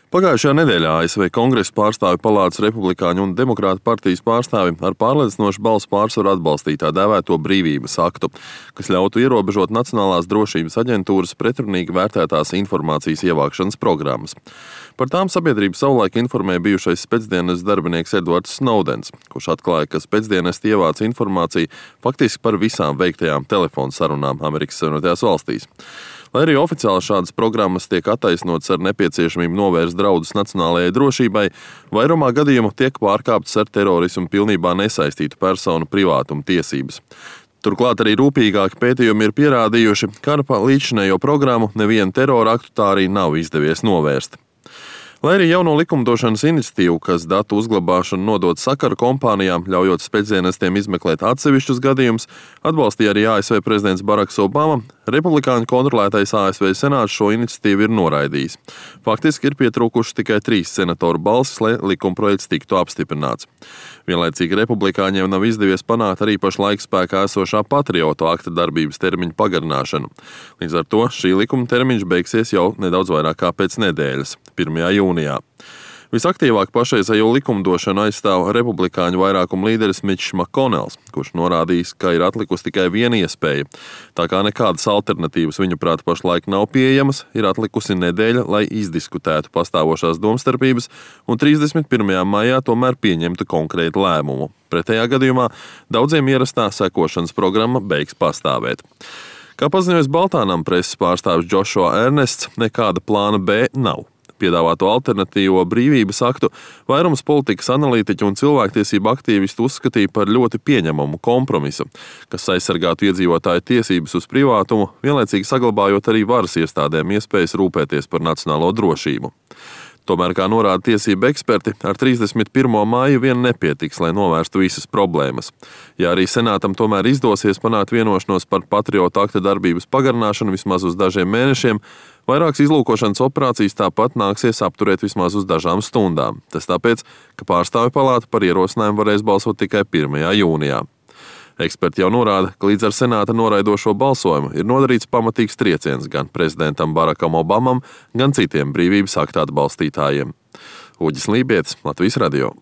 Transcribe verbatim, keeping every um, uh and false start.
Pagājušajā nedēļā A S V Kongresa pārstāvju palātas republikāņu un demokrātu partijas pārstāvi ar pārliecinošu balsu pārsvaru atbalstīja tā dēvēto brīvības aktu, kas ļautu ierobežot Nacionālās drošības aģentūras pretrunīgi vērtētās informācijas ievākšanas programmas. Par tām sabiedrību savulaik informēja bijušais spēcdienas darbinieks Edvards Snowdens, kurš atklāja, ka spēcdienesti ievāca informāciju faktiski par visām veiktajām telefonu sarunām Amerikas Savienotajās valstīs. Lai arī oficiāli šādas programmas tiek attaisnotas ar nepieciešamību novērst draudus nacionālajai drošībai, vairumā gadījumu tiek pārkāptas ar terorismu pilnībā nesaistītu personu privātuma tiesības. Turklāt arī rūpīgāki pētījumi ir pierādījuši, ka ar līdzinējo programmu nevienu terora aktu tā arī nav izdevies novērst. Lai arī jauno likumdošanas iniciatīvu, kas datu uzglabāšanu nodod sakaru kompānijām, ļaujot spēcdienestiem izmeklēt atsevišķus gadījumus, atbalstīja arī A S V prezidents Baraks Obama, republikāņu kontrolētais A S V senāts šo iniciatīvu ir noraidījis. Faktiski ir pietrūkuši tikai trīs senatoru balsis, lai likumprojekts tiktu apstiprināts. Vienlaicīgi republikāņiem nav izdevies panākt arī pašlaik spēkā esošā patriotu akta darbības termiņa pagarināšanu. Līdz ar to šī likuma termiņš beigsies jau nedaudz vairāk kā pēc nedēļas, pirmajā jūnijā. Visaktīvāk pašreizējo likumdošanu aizstāv republikāņu vairākuma līderis Mitčs Makkonels, kurš norādījis, ka ir atlikusi tikai viena iespēja. Tā kā nekādas alternatīvas viņuprāt pašlaik nav pieejamas, ir atlikusi nedēļa, lai izdiskutētu pastāvošās domstarpības un trīsdesmit pirmajā maijā tomēr pieņemtu konkrētu lēmumu. Pretējā gadījumā daudziem ierastā sekošanas programma beigs pastāvēt. Kā paziņojas Baltānam preses pārstāvis Joshua Ernests, nekāda plāna B nav. Piedāvāto alternatīvo brīvības aktu vairums politikas analītiķu un cilvēktiesību aktīvistu uzskatīja par ļoti pieņemamu kompromisu, kas aizsargātu iedzīvotāju tiesības uz privātumu, vienlaicīgi saglabājot arī varas iestādēm iespējas rūpēties par nacionālo drošību. Tomēr, kā norāda tiesību eksperti, ar trīsdesmit pirmo māju vien nepietiks, lai novērstu visas problēmas. Ja arī senātam tomēr izdosies panākt vienošanos par patriotu akta darbības pagarināšanu vismaz uz dažiem mēnešiem, vairākas izlūkošanas operācijas tāpat nāksies apturēt vismaz uz dažām stundām. Tas tāpēc, ka pārstāvju palāta par ierosinājumu varēs balsot tikai pirmajā jūnijā. Eksperti jau norāda, ka līdz ar senāta noraidošo balsojumu ir nodarīts pamatīgs trieciens gan prezidentam Barakam Obamam, gan citiem brīvības akta atbalstītājiem. Uģis Lībietis, Latvijas radio.